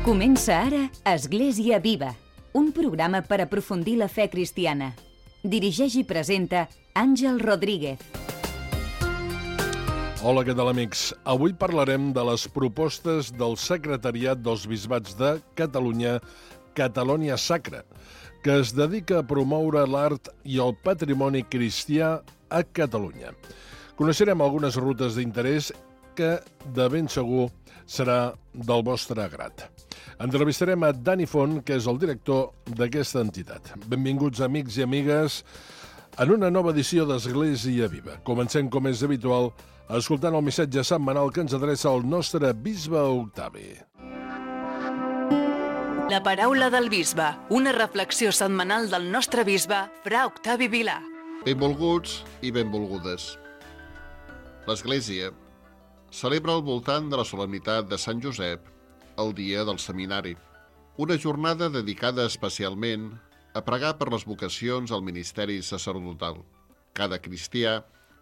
Comença ara Església Viva, un programa per aprofundir la fe cristiana. Dirigeix i presenta Àngel Rodríguez. Hola, què tal, amics? Avui parlarem de les propostes del Secretariat dels Bisbats de Catalunya, Catalonia Sacra, que es dedica a promoure l'art i el patrimoni cristià a Catalunya. Coneixerem algunes rutes d'interès que de ben segur serà del vostre agrat. Entrevistarem a Dani Font, que és el director d'aquesta entitat. Benvinguts, amics i amigues, en una nova edició d'Església Viva. Comencem, com és habitual, escoltant el missatge setmanal que ens adreça el nostre bisbe Octavi. La paraula del bisbe, una reflexió setmanal del nostre bisbe, fra Octavi Vilà. Benvolguts i benvolgudes. L'Església celebra al voltant de la solemnitat de Sant Josep el dia del seminari, una jornada dedicada especialment a pregar per les vocacions al ministeri sacerdotal. Cada cristià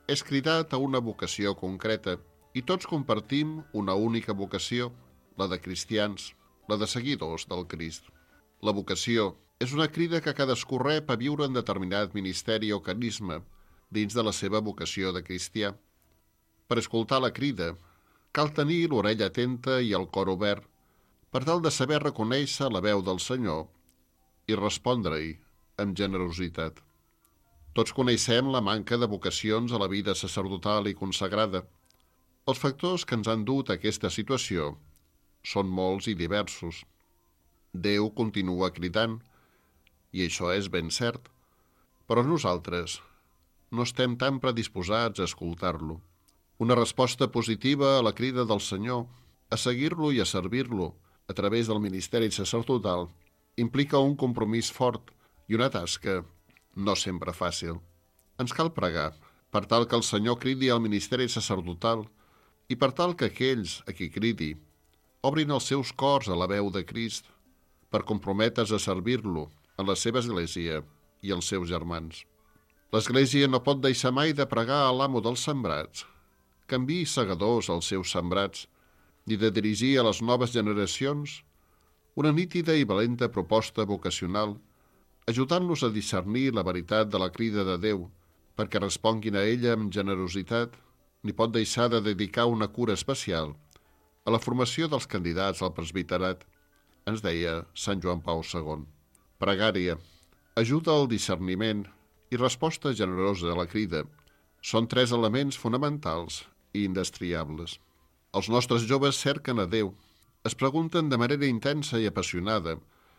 és cridat a una vocació concreta i tots compartim una única vocació, la de cristians, la de seguidors del Crist. La vocació és una crida que cadascú rep a viure en determinat ministeri o carisma dins de la seva vocació de cristià. Per escoltar la crida, cal tenir l'orella atenta i el cor obert per tal de saber reconèixer la veu del Senyor i respondre-hi amb generositat. Tots coneixem la manca de vocacions a la vida sacerdotal i consagrada. Els factors que ens han dut a aquesta situació són molts i diversos. Déu continua cridant, i això és ben cert, però nosaltres no estem tan predisposats a escoltar-lo. Una resposta positiva a la crida del Senyor, a seguir-lo i a servir-lo a través del ministeri sacerdotal, implica un compromís fort i una tasca no sempre fàcil. Ens cal pregar per tal que el Senyor cridi al ministeri sacerdotal i per tal que aquells a qui cridi obrin els seus cors a la veu de Crist per comprometre's a servir-lo en la seva església i els seus germans. L'església no pot deixar mai de pregar a l'amo dels sembrats, que enviï segadors als seus sembrats, ni de dirigir a les noves generacions una nítida i valenta proposta vocacional, ajudant-los a discernir la veritat de la crida de Déu, perquè responguin a ella amb generositat, ni pot deixar de dedicar una cura especial a la formació dels candidats al presbiterat, ens deia Sant Joan Pau II. Pregària, ajuda al discerniment i resposta generosa a la crida són tres elements fonamentals i indestriables. Els nostres joves cerquen a Déu, es pregunten de manera intensa i apassionada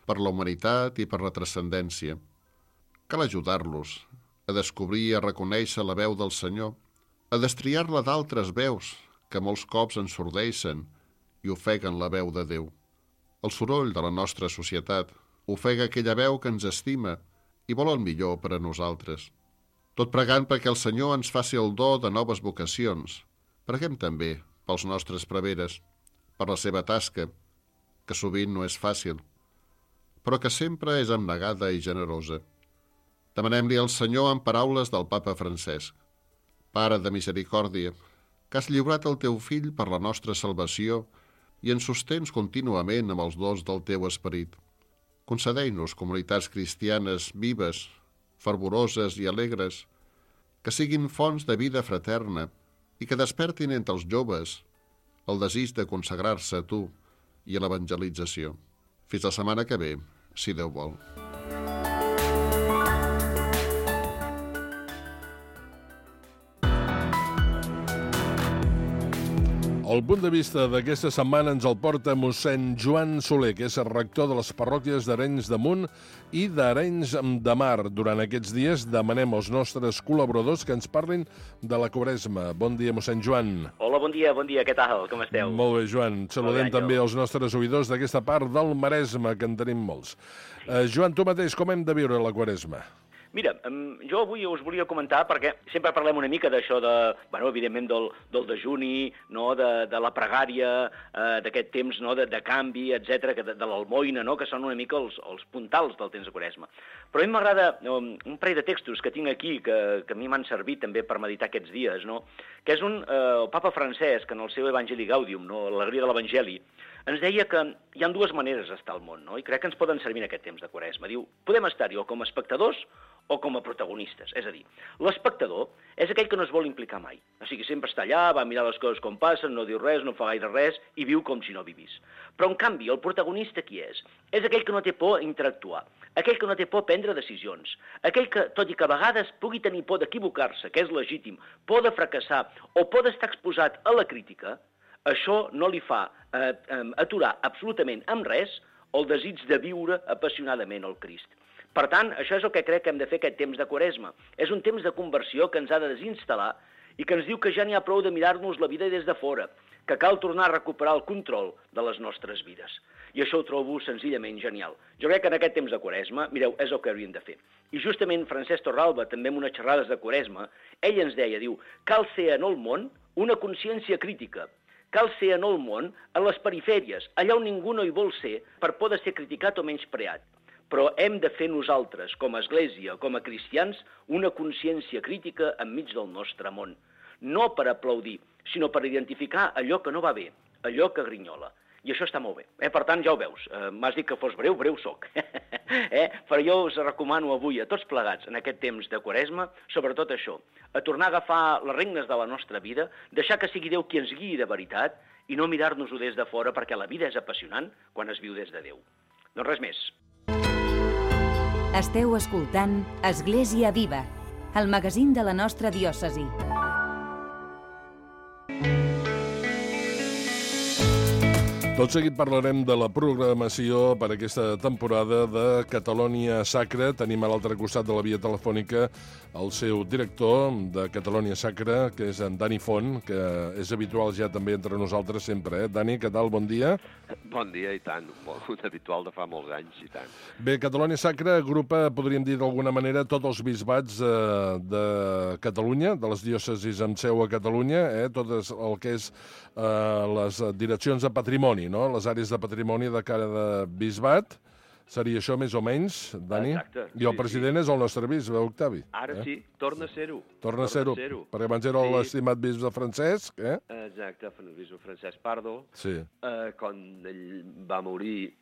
per la humanitat i per la transcendència. Cal ajudar-los a descobrir i a reconèixer la veu del Senyor, a destriar-la d'altres veus que molts cops ensordeixen i ofeguen la veu de Déu. El soroll de la nostra societat ofega aquella veu que ens estima i vol el millor per a nosaltres. Tot pregant perquè el Senyor ens faci el do de noves vocacions, preguem també pels nostres preveres, per la seva tasca, que sovint no és fàcil, però que sempre és abnegada i generosa. Demanem-li al Senyor en paraules del Papa Francesc: Pare de misericòrdia, que has lliurat el teu fill per la nostra salvació i ens sostens contínuament amb els dons del teu esperit. Concedeix-nos comunitats cristianes vives, fervoroses i alegres, que siguin fonts de vida fraterna i que despertin entre els joves el desig de consagrar-se a tu i a l'evangelització. Fins la setmana que ve, si Déu vol. El punt de vista d'aquesta setmana ens el porta mossèn Joan Soler, que és el rector de les parròquies d'Arenys de Munt i d'Arenys de Mar. Durant aquests dies demanem als nostres col·laboradors que ens parlin de la Quaresma. Bon dia, mossèn Joan. Hola, bon dia, què tal? Com esteu? Molt bé, Joan. Saludem també els nostres oïdors d'aquesta part del Maresme, que en tenim molts. Joan, tu mateix, com hem de viure la Quaresma? Mira, jo avui us volia comentar, perquè sempre parlem una mica d'això de, evidentment, del dejuni, no? de la pregària, d'aquest temps, no? de canvi, etc, de l'almoina, no? Que són una mica els puntals del temps de Quaresma. Però a mi m'agrada un parell de textos que tinc aquí, que a mi m'han servit també per meditar aquests dies, no? Que és el Papa Francesc, en el seu Evangelii Gaudium, no? L'alegria de l'Evangeli, ens deia que hi ha dues maneres d'estar al món, no? I crec que ens poden servir en aquest temps de Quaresma. Diu, podem estar-hi o com a espectadors o com a protagonistes. És a dir, l'espectador és aquell que no es vol implicar mai. O sigui, sempre està allà, va mirar les coses com passen, no diu res, no fa gaire res i viu com si no vivís. Però, en canvi, el protagonista qui és? És aquell que no té por a interactuar, aquell que no té por a prendre decisions, aquell que, tot i que a vegades pugui tenir por d'equivocar-se, que és legítim, por de fracassar o por d'estar exposat a la crítica, això no li fa aturar absolutament amb res el desig de viure apassionadament el Crist. Per tant, això és el que crec que hem de fer aquest temps de Quaresma. És un temps de conversió que ens ha de desinstal·lar i que ens diu que ja n'hi ha prou de mirar-nos la vida des de fora, que cal tornar a recuperar el control de les nostres vides. I això ho trobo senzillament genial. Jo crec que en aquest temps de Quaresma, mireu, és el que hauríem de fer. I justament Francesc Torralba, també en unes xerrades de Quaresma, ell ens deia, diu, cal ser en el món una consciència crítica. Cal ser en el món, a les perifèries, allà on ningú no hi vol ser, per poder ser criticat o menyspreat. Però hem de fer nosaltres, com a Església, com a cristians, una consciència crítica enmig del nostre món. No per aplaudir, sinó per identificar allò que no va bé, allò que grinyola. I això està molt bé. Per tant, ja ho veus, m'has dit que fos breu, breu soc. Però jo us recomano avui a tots plegats, en aquest temps de Quaresma, sobretot això, a tornar a agafar les regnes de la nostra vida, deixar que sigui Déu qui ens guiï de veritat i no mirar-nos-ho des de fora, perquè la vida és apassionant quan es viu des de Déu. Doncs res més. Esteu escoltant Església Viva, el magazín de la nostra diòcesi. Tot seguit parlarem de la programació per aquesta temporada de Catalònia Sacra. Tenim a l'altre costat de la via telefònica el seu director de Catalònia Sacra, que és en Dani Font, que és habitual ja també entre nosaltres sempre. Dani, què tal? Bon dia. Bon dia, i tant. Un habitual de fa molts anys, i tant. Bé, Catalònia Sacra agrupa, podríem dir d'alguna manera, tots els bisbats de Catalunya, de les diòcesis amb seu a Catalunya, tot el que és les direccions de patrimoni, no? Les àrees de patrimoni de cada bisbat. Seria això més o menys, Dani? Exacte. I el president és el nostre bisbe, Octavi. Ara sí, torna a ser-ho. Torna a ser-ho, perquè abans era l'estimat bisbe Francesc, Exacte, el bisbe Francesc Pardo. Sí. Quan ell va morir,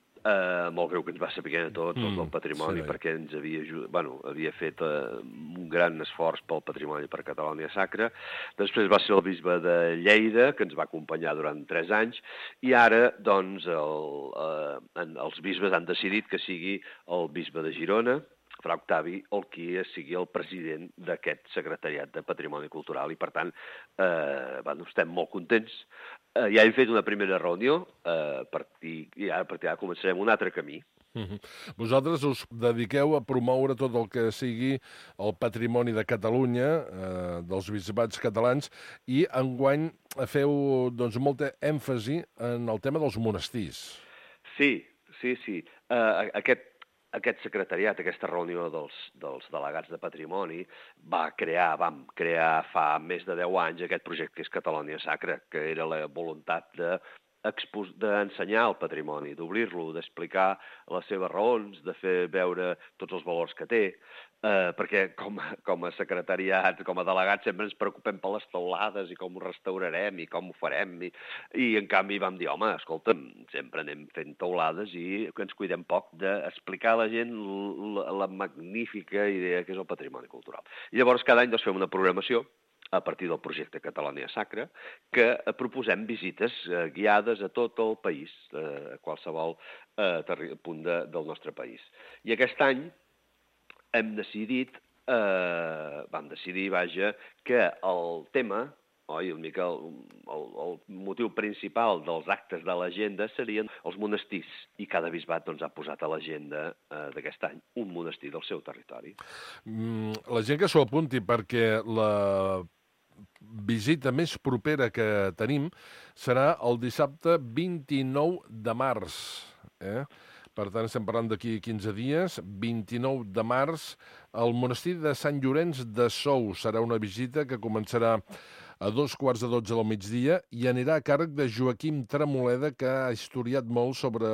molt greu que ens va saber a tot el patrimoni, sí, perquè ens havia fet un gran esforç pel patrimoni per Catalònia Sacra. Després va ser el bisbe de Lleida, que ens va acompanyar durant 3 anys, i ara, doncs, els bisbes han decidit que sigui el bisbe de Girona, Fra Octavi, el qui sigui el president d'aquest secretariat de Patrimoni Cultural, i per tant estem molt contents. Ja hem fet una primera reunió i ara a partir d'ara començarem un altre camí. Vosaltres us dediqueu a promoure tot el que sigui el patrimoni de Catalunya, dels bisbats catalans, i enguany feu molta èmfasi en el tema dels monestirs. Sí. Aquest secretariat, aquesta reunió dels delegats de patrimoni, vam crear fa més de 10 anys aquest projecte que és Catalònia Sacra, que era la voluntat d'ensenyar el patrimoni, d'obrir-lo, d'explicar les seves raons, de fer veure tots els valors que té, perquè com a secretariat, com a delegat, sempre ens preocupem per les teulades i com ho restaurarem i com ho farem, i en canvi vam dir, home, escolta'm, sempre anem fent teulades i que ens cuidem poc d'explicar a la gent la magnífica idea que és el patrimoni cultural. I llavors cada any fem una programació a partir del projecte Catalònia Sacra, que proposem visites guiades a tot el país, a qualsevol punt del nostre país. I aquest any vam decidir, que el tema, el motiu principal dels actes de l'agenda serien els monestirs, i cada bisbat ha posat a l'agenda d'aquest any un monestir del seu territori. La gent que s'ho apunti, perquè la visita més propera que tenim serà el dissabte 29 de març. Per tant, estem parlant d'aquí 15 dies, 29 de març, al monestir de Sant Llorenç de Sou. Serà una visita que començarà a 2:45 del migdia i anirà a càrrec de Joaquim Tremoleda, que ha historiat molt sobre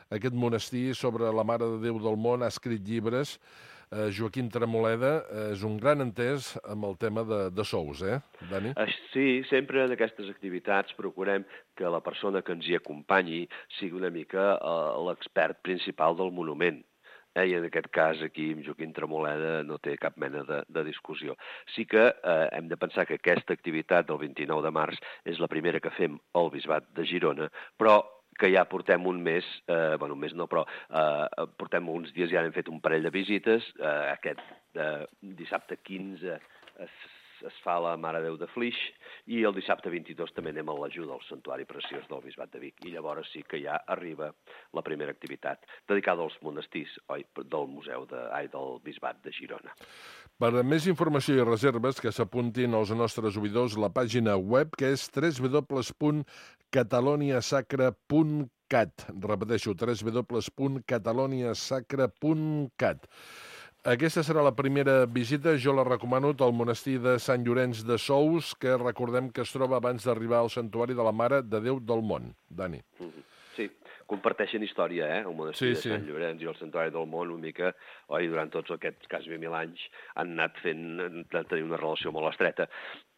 aquest monestir, sobre la Mare de Déu del Món, ha escrit llibres. Joaquim Tremoleda és un gran entès amb el tema de sous, Dani? Sí, sempre en aquestes activitats procurem que la persona que ens hi acompanyi sigui una mica l'expert principal del monument. I en aquest cas aquí amb Joaquim Tremoleda no té cap mena de discussió. Sí que hem de pensar que aquesta activitat del 29 de març és la primera que fem al Bisbat de Girona, però que ja portem un mes, un mes no, però portem uns dies, ja hem fet un parell de visites. Aquest dissabte 15 es fa la Mare Déu de Flix i el dissabte 22 també anem a l'ajuda al Santuari Preciós del Bisbat de Vic. I llavors sí que ja arriba la primera activitat dedicada als monestirs del Bisbat de Girona. Per a més informació i reserves, que s'apuntin els nostres oïdors la pàgina web, que és www.cataloniasacra.cat. Repeteixo, www.cataloniasacra.cat. Aquesta serà la primera visita, jo la recomano, al monestir de Sant Llorenç de Sous, que recordem que es troba abans d'arribar al Santuari de la Mare de Déu del Món. Dani. Sí, comparteixen història, el monestir de Sant Llorenç i el Santuari del Món, una mica, durant tots aquests quasi 1.000 anys han anat tenir una relació molt estreta.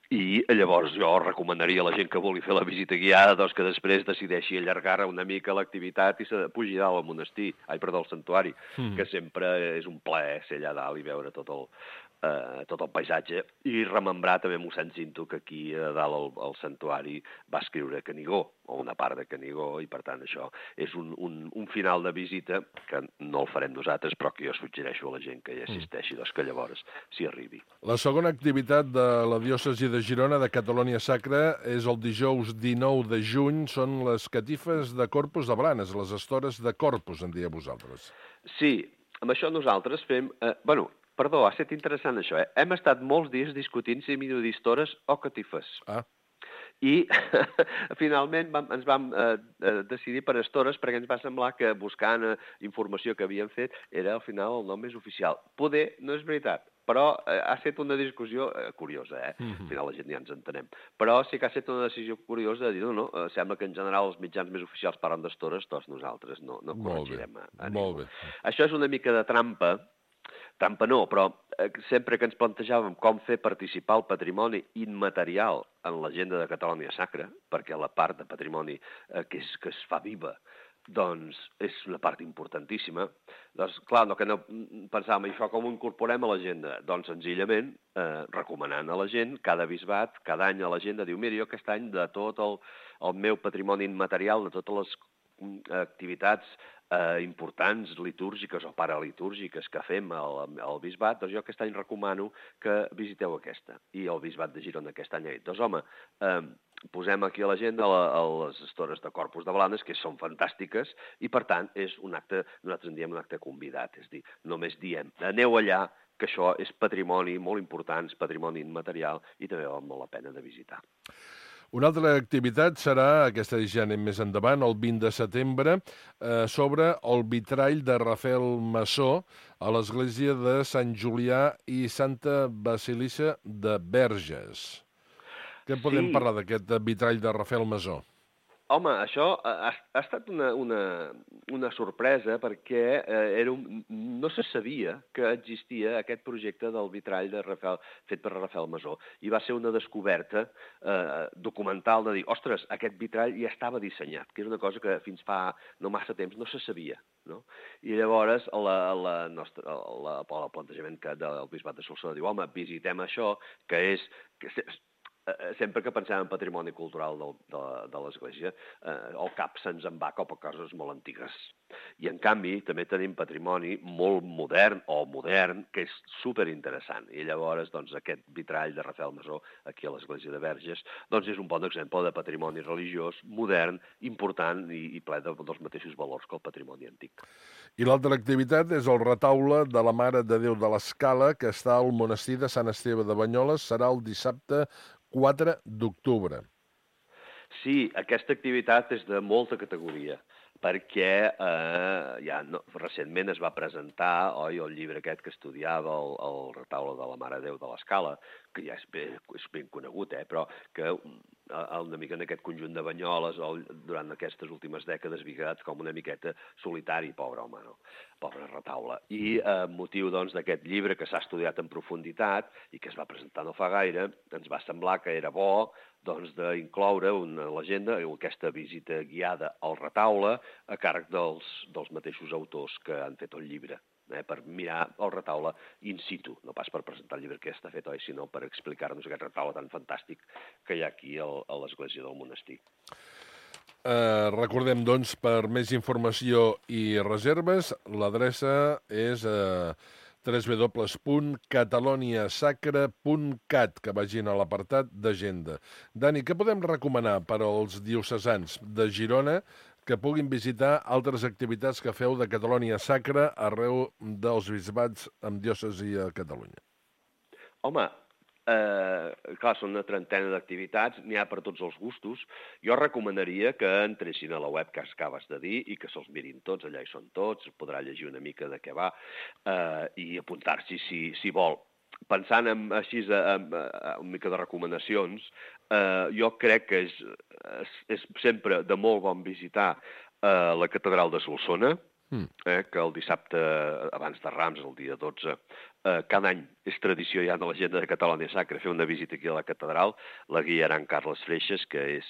I llavors jo recomanaria a la gent que vulgui fer la visita guiada que després decideixi allargar una mica l'activitat i pugi dalt al monestir, al santuari, que sempre és un plaer ser allà dalt i veure tot el paisatge i remembrar també mossèn Cinto que aquí a dalt al santuari va escriure Canigó, o una part de Canigó, i per tant això és un final de visita que no el farem nosaltres, però que jo suggereixo a la gent que hi assisteixi, que llavors s'hi arribi. La segona activitat de la diòcesi de Girona de Catalònia Sacra és el dijous 19 de juny, són les catifes de Corpus de Blanes, les estores de Corpus, en dieu vosaltres. Sí, amb això nosaltres fem... Perdó, ha estat interessant això, Hem estat molts dies discutint si millor dir estores o catifes. I finalment ens vam decidir per estores perquè ens va semblar que buscant informació que havíem fet era al final el nom més oficial. Poder no és veritat, però ha estat una discussió curiosa, Al final la gent ja ens entenem. Però sí que ha estat una decisió curiosa de dir, no, sembla que en general els mitjans més oficials parlen d'estores, doncs nosaltres no corregirem a ningú. Molt bé. Això és una mica de trampa no, però sempre que ens plantejàvem com fer participar el patrimoni immaterial en l'agenda de Catalònia Sacra, perquè la part de patrimoni que es fa viva, doncs és una part importantíssima. Doncs, clar, que no pensàvem això com ho incorporem a l'agenda? Doncs senzillament recomanant a la gent, cada bisbat, cada any a l'agenda, diu, mira, jo aquest any de tot el meu patrimoni immaterial, de totes les activitats importants, litúrgiques o paralitúrgiques que fem al bisbat, doncs jo aquest any recomano que visiteu aquesta. I el bisbat de Girona aquest any ha dit, doncs home, posem aquí a l'agenda les estores de Corpus de Blanes, que són fantàstiques, i per tant és un acte, nosaltres en diem un acte convidat, és a dir, només diem, aneu allà, que això és patrimoni molt important, és patrimoni immaterial, i també val molt la pena de visitar. Una altra activitat serà, aquesta ja anem més endavant, el 20 de setembre, sobre el vitrall de Rafael Masó a l'església de Sant Julià i Santa Basilissa de Verges. Què podem parlar d'aquest vitrall de Rafael Masó? Home, això ha estat una sorpresa perquè no se sabia que existia aquest projecte del vitrall fet per Rafael Masó. I va ser una descoberta documental de dir, ostres, aquest vitrall ja estava dissenyat, que és una cosa que fins fa no massa temps no se sabia. No? I llavors el plantejament del Bisbat de Solsona diu, home, visitem això, que és... Sempre que pensem en patrimoni cultural de l'Església, el cap se'ns en va cap a coses molt antigues. I, en canvi, també tenim patrimoni molt modern, que és superinteressant. I llavors, doncs, aquest vitrall de Rafael Masó, aquí a l'Església de Verges, doncs és un bon exemple de patrimoni religiós, modern, important i ple dels mateixos valors que el patrimoni antic. I l'altra activitat és el retaule de la Mare de Déu de l'Escala, que està al monestir de Sant Esteve de Banyoles, serà el dissabte 4 d'octubre. Sí, aquesta activitat és de molta categoria, perquè recentment es va presentar el llibre aquest que estudiava el retaule de la Mare de Déu de l'Escala, que ja és ben conegut, però que una mica en aquest conjunt de Banyoles, durant aquestes últimes dècades, quedat com una miqueta solitari, pobre home, no? Pobre retaule. I motiu d'aquest llibre que s'ha estudiat en profunditat i que es va presentar no fa gaire, ens va semblar que era bo d'incloure una legenda, aquesta visita guiada al retaule a càrrec dels mateixos autors que han fet el llibre, per mirar el retaule in situ, no pas per presentar el llibre que està fet, sinó per explicar-nos aquest retaule tan fantàstic que hi ha aquí a l'església del monestir. Recordem, doncs, per més informació i reserves, l'adreça és www.cataloniasacra.cat, que vagin a l'apartat d'agenda. Dani, què podem recomanar per als diocesans de Girona que puguin visitar altres activitats que feu de Catalònia Sacra arreu dels bisbats amb diòcesi a Catalunya? Home, clar, són una trentena d'activitats, n'hi ha per tots els gustos. Jo recomanaria que entressin a la web que acabes de dir i que se'ls mirin tots, allà hi són tots, podrà llegir una mica de què va i apuntar-s'hi si vol. Pensant així en una mica de recomanacions, jo crec que és sempre de molt bon visitar la catedral de Solsona, que el dissabte abans de Rams, el dia 12, cada any és tradició ja de l'agenda de Catalònia Sacra fer una visita aquí a la catedral. La guiarà en Carles Freixas, que és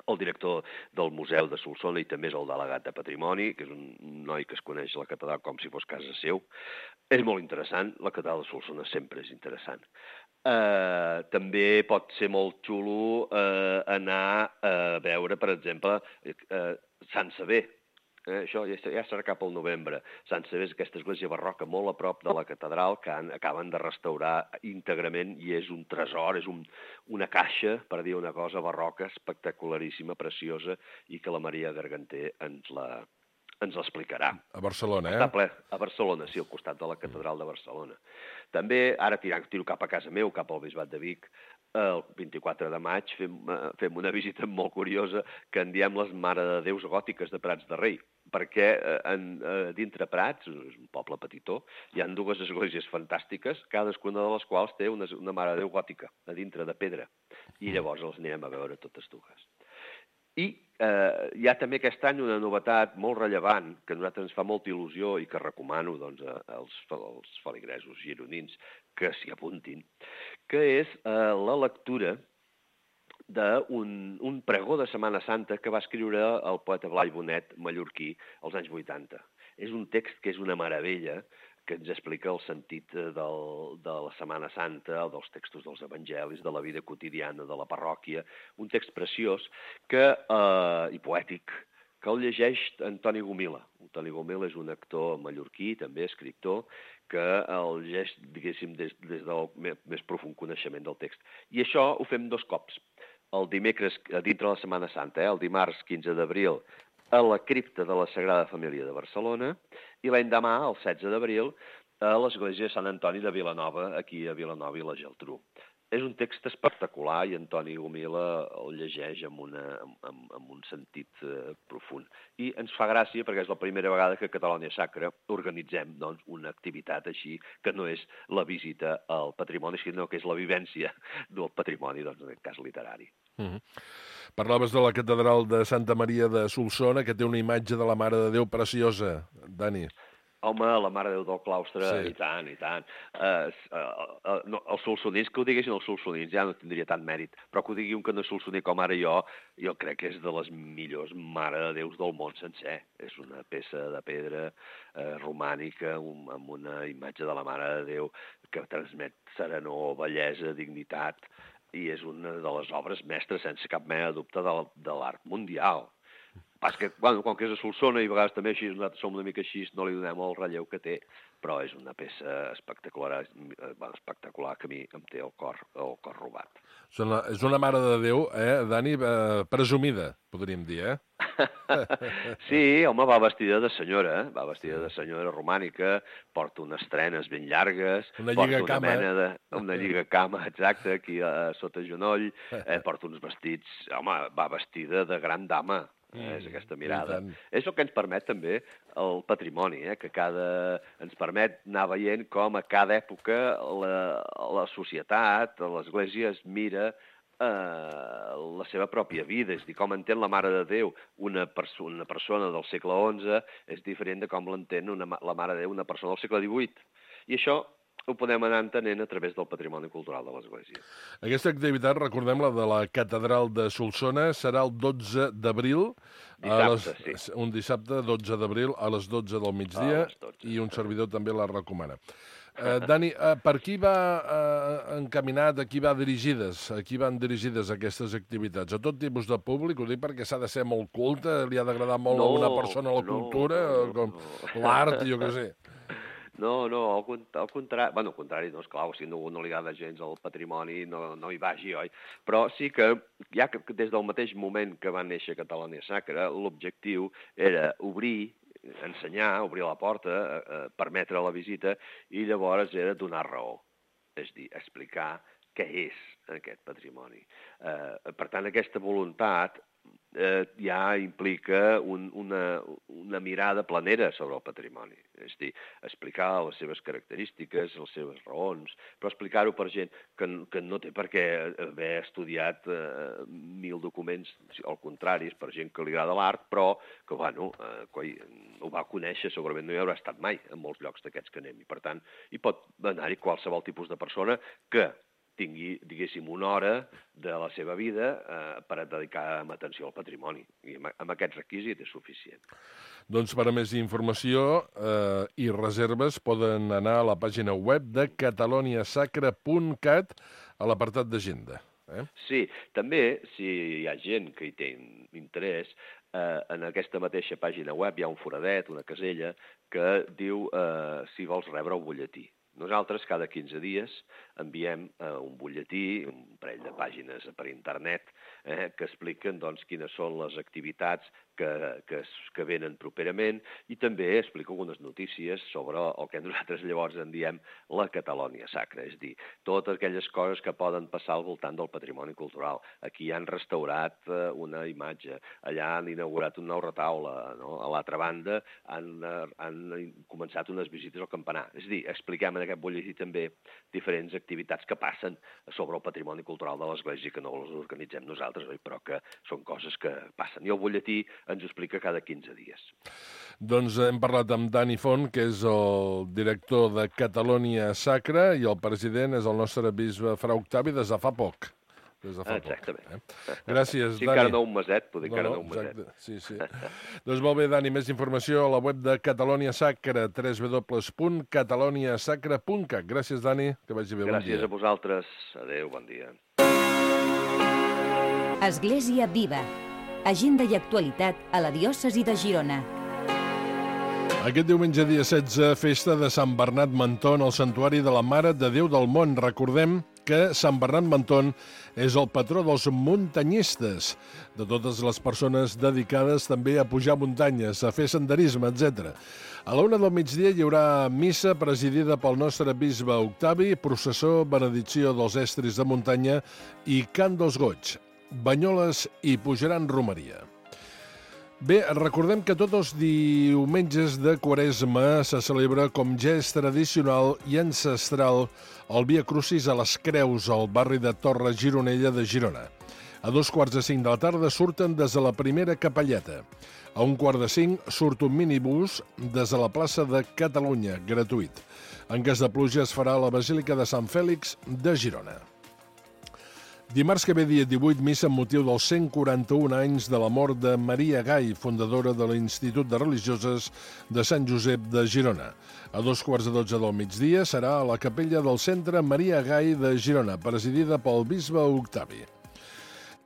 el director del Museu de Solsona i també és el delegat de Patrimoni, que és un noi que es coneix la catedral com si fos casa seu. És molt interessant, la catedral de Solsona sempre és interessant. També pot ser molt xulo anar a veure, per exemple, Sant Sever. Això ja serà cap al novembre. Sant Sever és aquesta església barroca molt a prop de la catedral que acaben de restaurar íntegrament i és un tresor, és una caixa, per dir una cosa, barroca, espectacularíssima, preciosa, i que la Maria Garganter ens l'explicarà. A Barcelona, Està ple, a Barcelona, sí, al costat de la catedral de Barcelona. També, ara tiro cap a casa meu, cap al Bisbat de Vic, el 24 de maig fem una visita molt curiosa que en diem les Mare de Déus Gòtiques de Prats de Rei, perquè dintre Prats, és un poble petitó, hi ha dues esglésies fantàstiques, cadascuna de les quals té una Mare de Déu gòtica, a dintre de pedra, i llavors els anirem a veure totes dues. I hi ha també aquest any una novetat molt rellevant que a nosaltres ens fa molta il·lusió i que recomano als feligresos gironins que s'hi apuntin, que és la lectura d'un pregó de Setmana Santa que va escriure el poeta Blai Bonet mallorquí als anys 80. És un text que és una meravella, que ens explica el sentit de la Setmana Santa, dels textos dels evangelis, de la vida quotidiana, de la parròquia. Un text preciós i poètic que el llegeix Antoni Gomila. Antoni Gomila és un actor mallorquí, també escriptor, que el llegeix, diguéssim, des del més profund coneixement del text. I això ho fem 2 cops. El dimecres, dintre de la Setmana Santa, el dimarts 15 d'abril, a la cripta de la Sagrada Família de Barcelona, i l'endemà, el 16 d'abril, a l'església de Sant Antoni de Vilanova, aquí a Vilanova i la Geltrú. És un text espectacular i Antoni Gomila el llegeix amb un sentit profund. I ens fa gràcia perquè és la primera vegada que a Catalònia Sacra organitzem una activitat així, que no és la visita al patrimoni, sinó que és la vivència del patrimoni, en aquest cas literari. Parlaves de la catedral de Santa Maria de Solsona, que té una imatge de la Mare de Déu preciosa, Dani. Home, la Mare de Déu del claustre, sí. I tant, i tant. Els solsonins, que ho diguessin els solsonins, ja no tindria tant mèrit, però que ho digui un que no és solsoní com ara jo crec que és de les millors Mare de Déus del món sencer. És una peça de pedra romànica amb una imatge de la Mare de Déu que transmet serenor, bellesa, dignitat, i és una de les obres mestres, sense cap mena de dubte, de l'art mundial. Pas que, com que és a Solsona, i a vegades també així, nosaltres som una mica així, no li donem el relleu que té, però és una peça espectacular que a mi em té el cor robat. És una Mare de Déu, Dani, presumida, podríem dir, Sí, home, va vestida de senyora romànica, porta unes trenes ben llargues, porta una lligacama, exacte, aquí sota genoll, porta uns vestits, home, va vestida de gran dama. És aquesta mirada. És el que ens permet també el patrimoni, que ens permet anar veient com a cada època la societat, l'Església es mira la seva pròpia vida, és a dir, com entén la Mare de Déu una persona del segle XI és diferent de com l'entén la Mare de Déu una persona del segle XVIII. I això ho podem anar entenent a través del patrimoni cultural de l'Església. Aquesta activitat, recordem, la de la Catedral de Solsona, serà el 12 d'abril, un dissabte 12 d'abril a les 12 del migdia, i un servidor també la recomana. Dani, per qui va encaminat, a qui van dirigides aquestes activitats? A tot tipus de públic? Ho dic perquè s'ha de ser molt culte, li ha d'agradar molt a una persona la cultura, com l'art, jo què sé. No, al contrari. Bueno, al contrari, no, esclar, si no li agrada gens el patrimoni, no hi vagi, oi? Però sí que, ja que des del mateix moment que va néixer Catalunya Sacra, l'objectiu era ensenyar, obrir la porta, permetre la visita, i llavors era donar raó, és a dir, explicar què és aquest patrimoni. Per tant, aquesta voluntat ja implica una mirada planera sobre el patrimoni, és a dir, explicar les seves característiques, les seves raons, però explicar-ho per gent que no té per què haver estudiat 1.000 documents, al contrari, és per gent que li agrada l'art, però que, bueno, ho va conèixer, segurament no hi haurà estat mai en molts llocs d'aquests que anem, i per tant, hi pot anar-hi qualsevol tipus de persona que tingui, diguéssim, una hora de la seva vida per dedicar atenció al patrimoni. I amb aquest requisit és suficient. Doncs per a més informació i reserves poden anar a la pàgina web de cataloniasacra.cat a l'apartat d'agenda. Sí, també, si hi ha gent que hi té interès, en aquesta mateixa pàgina web hi ha un foradet, una casella, que diu si vols rebre un butlletí. Nosaltres cada 15 dies enviem un butlletí, un parell de pàgines per internet, que expliquen quines són les activitats que venen properament, i també explica algunes notícies sobre el que nosaltres llavors en diem la Catalunya Sacra, és a dir, totes aquelles coses que poden passar al voltant del patrimoni cultural. Aquí han restaurat una imatge, allà han inaugurat un nou retaule, no? A l'altra banda han començat unes visites al campanar. És a dir, expliquem en aquest butlletí també diferents activitats que passen sobre el patrimoni cultural de l'Església, que no les organitzem nosaltres, però que són coses que passen. I el butlletí ens ho explica cada 15 dies. Doncs hem parlat amb Dani Font, que és el director de Catalunya Sacra, i el president és el nostre bisbe Fra Octavi des de fa poc. Exactament. Gràcies, Dani. Sí, encara no un meset, poder encara no un meset. Sí. Doncs molt bé, Dani, més informació a la web de Catalunya Sacra, www.cataloniasacra.cat. Gràcies, Dani, que vagi bé, bon dia. Gràcies a vosaltres. Adéu, bon dia. Església Viva. Agenda i actualitat a la diòcesi de Girona. Aquest diumenge, dia 16, festa de Sant Bernat Menton al Santuari de la Mare de Déu del Mont. Recordem que Sant Bernat Menton és el patró dels muntanyistes, de totes les persones dedicades també a pujar muntanyes, a fer senderisme, etc. A la 1 del migdia hi haurà missa presidida pel nostre bisbe Octavi, processó, benedicció dels estris de muntanya i cant dels goigs. Banyoles i pujaran romeria. Bé, recordem que tots els diumenges de Quaresma se celebra, com ja és tradicional i ancestral, el Via Crucis a les Creus, al barri de Torre Gironella de Girona. A 4:45 de la tarda surten des de la primera capelleta. A 4:45 surt un minibús des de la plaça de Catalunya, gratuït. En cas de pluja es farà a la Basílica de Sant Fèlix de Girona. Dimarts que ve, dia 18, missa amb motiu dels 141 anys de la mort de Maria Gai, fundadora de l'Institut de Religioses de Sant Josep de Girona. A 2:15 del migdia serà a la capella del Centre Maria Gai de Girona, presidida pel bisbe Octavi.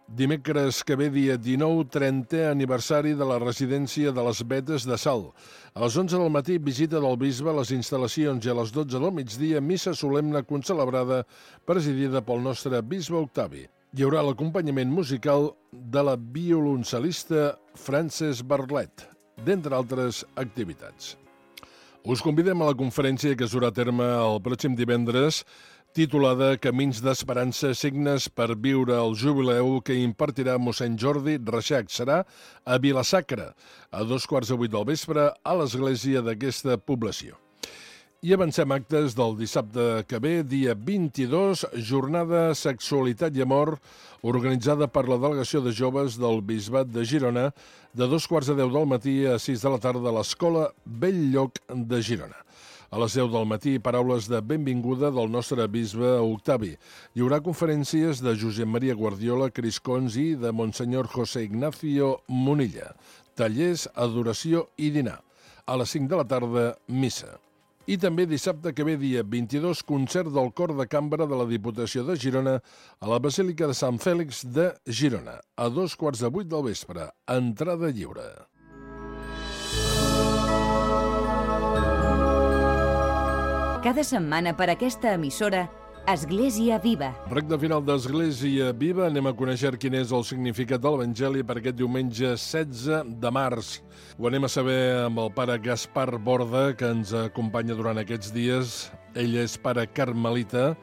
Dimecres que ve, dia 19, 30è aniversari de la residència de les Vetes de Salt. A les 11 del matí, visita del bisbe a les instal·lacions, i a les 12 del migdia, missa solemne concelebrada presidida pel nostre bisbe Octavi. Hi haurà l'acompanyament musical de la violoncel·lista Frances Bartlett, d'entre altres activitats. Us convidem a la conferència que es durà a terme el pròxim divendres, titulada Camins d'Esperança, signes per viure el jubileu, que impartirà mossèn Jordi Reixac. Serà a Vila-sacra, a 7:15 del vespre, a l'església d'aquesta població. I avancem actes del dissabte que ve, dia 22, jornada Sexualitat i Amor, organitzada per la Delegació de Joves del Bisbat de Girona, de 2:15 del matí a 6 de la tarda a l'Escola Bell-lloc de Girona. A les 10 del matí, paraules de benvinguda del nostre bisbe Octavi. Hi haurà conferències de Josep Maria Guardiola, Cris Cons i de Monsenyor José Ignacio Munilla. Tallers, adoració i dinar. A les 5 de la tarda, missa. I també dissabte que ve, dia 22, concert del Cor de Cambra de la Diputació de Girona a la Basílica de Sant Fèlix de Girona, a 7:15 del vespre. Entrada lliure. Cada setmana per aquesta emissora, Església Viva. Recte final d'Església Viva, anem a conèixer quin és el significat de l'Evangeli per aquest diumenge 16 de març. Ho anem a saber amb el pare Gaspar Borda, que ens acompanya durant aquests dies. Ell és pare carmelita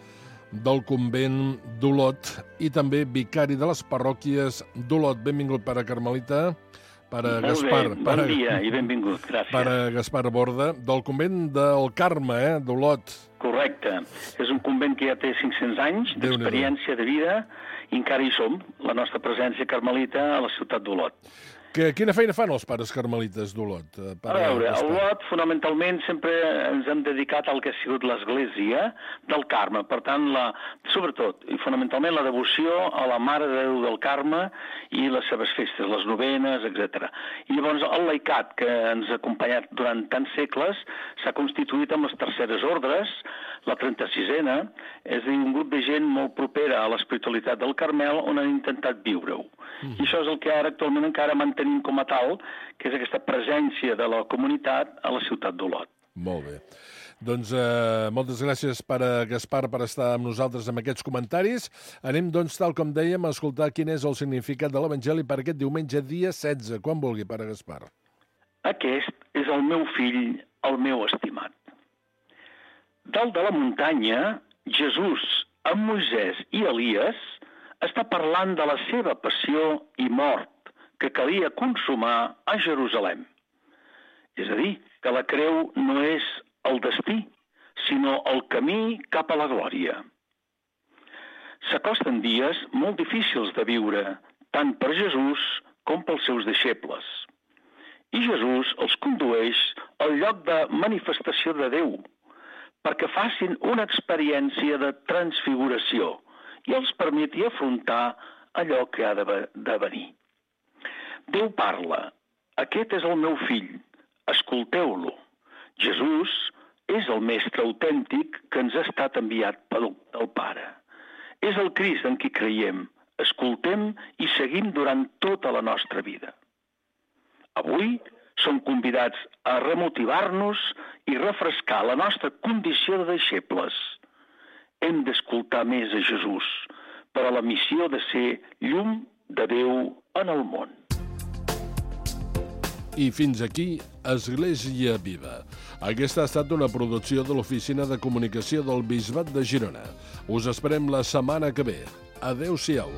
del convent d'Olot i també vicari de les parròquies d'Olot. Benvingut, pare carmelita. Pare Gaspar, bon dia i benvingut, gràcies. Pare Gaspar Borda, del convent del Carme, d'Olot. Correcte. És un convent que ja té 500 anys d'experiència de vida i encara hi som, la nostra presència carmelita a la ciutat d'Olot. Quina feina fan els pares carmelites d'Olot? A veure, a Olot, fonamentalment, sempre ens hem dedicat al que ha sigut l'Església del Carme. Per tant, sobretot i fonamentalment, la devoció a la Mare de Déu del Carme i les seves festes, les novenes, etc. I llavors el laicat, que ens ha acompanyat durant tants segles, s'ha constituït amb les terceres ordres, la 36a, és a dir, un grup de gent molt propera a l'espiritualitat del Carmel on han intentat viure-ho. I això és el que ara actualment encara mantenim com a tal, que és aquesta presència de la comunitat a la ciutat d'Olot. Molt bé. Doncs moltes gràcies, pare Gaspar, per estar amb nosaltres amb aquests comentaris. Anem, doncs, tal com dèiem, a escoltar quin és el significat de l'Evangeli per aquest diumenge, dia 16. Quan vulgui, pare Gaspar. Aquest és el meu fill, el meu estimat. Dalt de la muntanya, Jesús, amb Moisès i Elies, està parlant de la seva passió i mort que calia consumar a Jerusalem. És a dir, que la creu no és el destí, sinó el camí cap a la glòria. S'acosten dies molt difícils de viure, tant per Jesús com pels seus deixebles. I Jesús els condueix al lloc de manifestació de Déu, perquè facin una experiència de transfiguració i els permeti afrontar allò que ha de venir. Déu parla, aquest és el meu fill, escolteu-lo. Jesús és el mestre autèntic que ens ha estat enviat pel Pare. És el Crist en qui creiem, escoltem i seguim durant tota la nostra vida. Avui som convidats a remotivar-nos i refrescar la nostra condició de deixebles. Hem d'escoltar més a Jesús per a la missió de ser llum de Déu en el món. I fins aquí, Església Viva. Aquesta ha estat una producció de l'Oficina de Comunicació del Bisbat de Girona. Us esperem la setmana que ve. Adéu-siau.